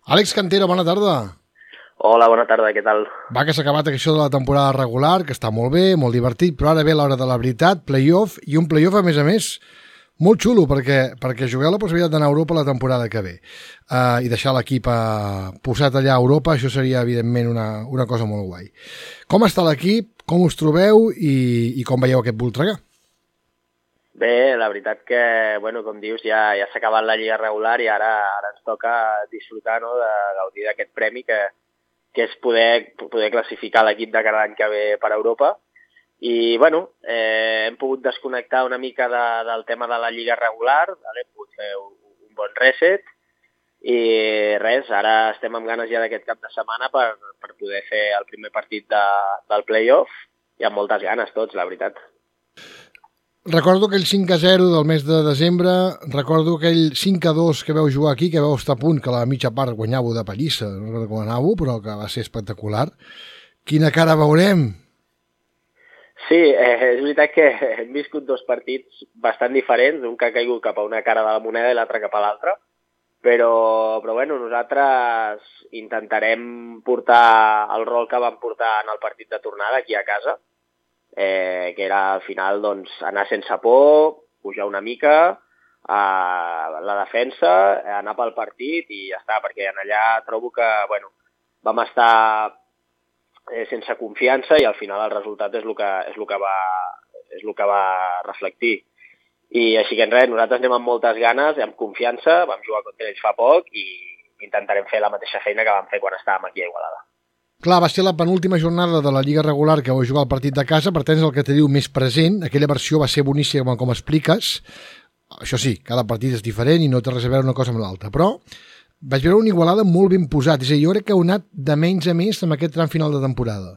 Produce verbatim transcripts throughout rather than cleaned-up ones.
Àlex Cantero, bona tarda. Hola, bona tarda, què tal? Va, que s'ha acabat això de la temporada regular, que està molt bé, molt divertit, però ara ve l'hora de la veritat, play-off, i un play-off, a més a més, molt xulo, perquè, perquè jugueu la possibilitat d'anar a Europa la temporada que ve. Uh, I deixar l'equip uh, posat allà a Europa, això seria, evidentment, una, una cosa molt guai. Com està l'equip, com us trobeu i, i com veieu aquest Voltregà? Bé, la veritat que, bueno, com dius, ja, ja s'ha acabat la lliga regular i ara, ara ens toca disfrutar, no?, de gaudir d'aquest premi que, que és poder, poder classificar l'equip de cada any que ve per Europa. I, bueno, eh, hem pogut desconnectar una mica de, del tema de la lliga regular, vale? Hem pogut fer un, un bon reset i res, ara estem amb ganes ja d'aquest cap de setmana per, per poder fer el primer partit de, del play-off i amb moltes ganes tots, la veritat. Recordo aquell cinc a zero del mes de desembre, recordo aquell cinc a dos que vau jugar aquí, que vau estar a punt, que la mitja part guanyàveu de pallissa, no recordo com anàveu, però que va ser espectacular. Quina cara veurem? Sí, eh, és veritat que hem viscut dos partits bastant diferents, un que ha caigut cap a una cara de la moneda i l'altre cap a l'altra, però, però bueno, nosaltres intentarem portar el rol que vam portar en el partit de tornada aquí a casa, eh, que era al final doncs, anar sense por, pujar una mica a la defensa, anar pel partit i ja està, perquè en allà trobo que bueno, vam estar eh, sense confiança i al final el resultat és el que, és el que, va, és el que va reflectir. I així que en res, nosaltres anem amb moltes ganes, amb confiança, vam jugar contra ells fa poc i intentarem fer la mateixa feina que vam fer quan estàvem aquí a Igualada. Clar, va ser la penúltima jornada de la Lliga regular que vau jugar el partit de casa, per tant és el que te diu més present, aquella versió va ser boníssima com expliques, això sí, cada partit és diferent i no té res a veure una cosa amb l'altra, però vaig veure una Igualada molt ben posat, és a dir, jo crec que heu anat de menys a més en aquest tram final de temporada.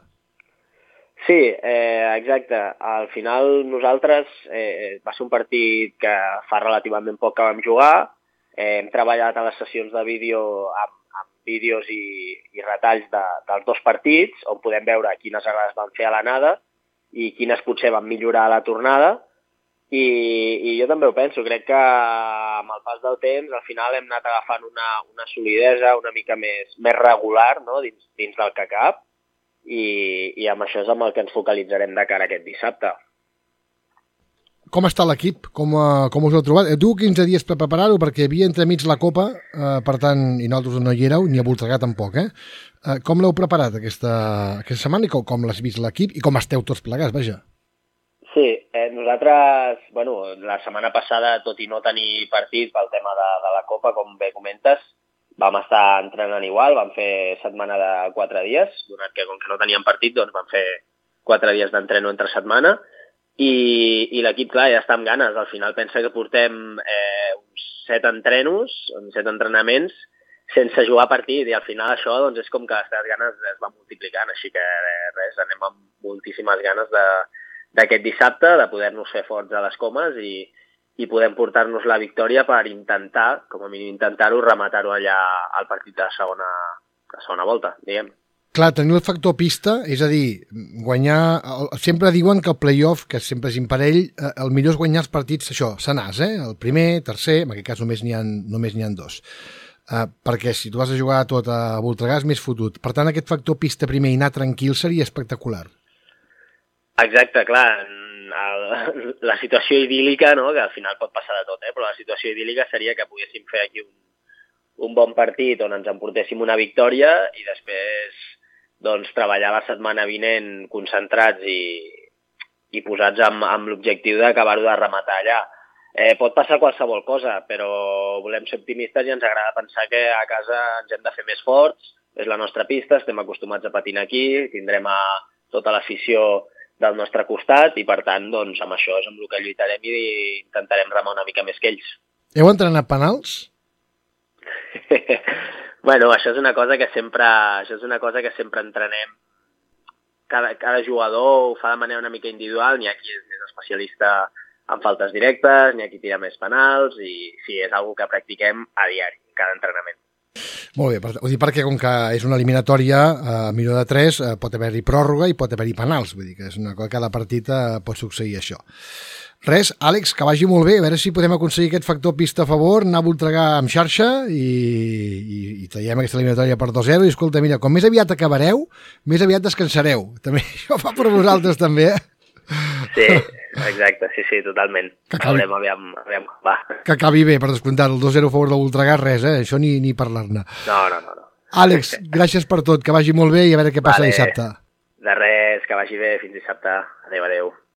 Sí, eh, exacte, al final nosaltres eh, va ser un partit que fa relativament poc que vam jugar, eh, hem treballat a les sessions de vídeo amb vídeos i, i retalls de, dels dos partits, on podem veure quines errades van fer a l'anada i quines potser van millorar a la tornada. I, i jo també ho penso, crec que amb el pas del temps al final hem anat agafant una, una solidesa una mica més, més regular, no?, dins, dins del que cap, i, i amb això és amb el que ens focalitzarem de cara a aquest dissabte. Com està l'equip? Com, uh, com us heu trobat? Tu quinze dies per preparar-ho perquè havia entremig la Copa, uh, per tant, i nosaltres no hi éreu, ni a Voltregà tampoc, eh? Uh, com l'heu preparat aquesta, aquesta setmana i com, com l'has vist l'equip i com esteu tots plegats, vaja? Sí, eh, nosaltres, bueno, la setmana passada, tot i no tenir partit pel tema de, de la Copa, com bé comentes, vam estar entrenant igual, vam fer setmana de quatre dies, donat que com que no teníem partit, doncs vam fer quatre dies d'entreno entre setmana, i, i l'equip, clar, ja està amb ganes. Al final pensa que portem eh, uns set entrenos, uns set entrenaments, sense jugar partit, i al final això doncs, és com que les ganes es van multiplicant, així que res, anem amb moltíssimes ganes de, d'aquest dissabte, de poder-nos fer forts a les comes i, i podem portar-nos la victòria per intentar, com a mínim intentar-ho, rematar-ho allà al partit de la segona, la segona volta, diguem. Clar, tenir el factor pista, és a dir, guanyar... Sempre diuen que el play-off, que sempre és imparell, el millor és guanyar els partits, això, senars, eh? El primer, tercer, en aquest cas només n'hi ha, només n'hi ha dos. Uh, perquè si tu vas a jugar tot a Voltregà és més fotut. Per tant, aquest factor pista primer i anar tranquil seria espectacular. Exacte, clar. El, la situació idíl·lica, no?, que al final pot passar de tot, eh? Però la situació idíl·lica seria que poguéssim fer aquí un, un bon partit on ens emportéssim una victòria i després doncs, treballar la setmana vinent concentrats i, i posats amb, amb l'objectiu d'acabar-ho de rematar allà. Eh, pot passar qualsevol cosa, però volem ser optimistes i ens agrada pensar que a casa ens hem de fer més forts, és la nostra pista, estem acostumats a patinar aquí, tindrem a tota l'afició del nostre costat i, per tant, doncs, amb això és amb el que lluitarem i intentarem remar una mica més que ells. Heu entrenat penals? Bueno, això és una cosa que sempre, això és una cosa que sempre entrenem. Cada, cada jugador ho fa de manera una mica individual, n'hi ha qui és més especialista en faltes directes, n'hi ha qui tira més penals, i sí, és una cosa que practiquem a diari, cada entrenament. Molt bé, ho dic perquè com que és una eliminatòria a eh, millor de tres, eh, pot haver-hi pròrroga i pot haver-hi penals, vull dir que és una cosa, cada partit eh, pot succeir això. Res, Àlex, que vagi molt bé, a veure si podem aconseguir aquest factor pista a favor, anar a Voltregà amb xarxa i, i, i traiem aquesta eliminatòria per dos zero i escolta, mira, com més aviat acabareu, més aviat descansareu. També això fa per vosaltres també, eh? Sí, exacte, sí, sí, totalment. Que acabi, Veurem, aviam, aviam, va. Que acabi bé, per descomptar, el dos zero a favor de Voltregà, res, eh? Això ni, ni parlar-ne. No, no, no, no. Àlex, gràcies per tot, que vagi molt bé i a veure què passa vale. dissabte. De res, que vagi bé, fins dissabte. Adéu, adéu.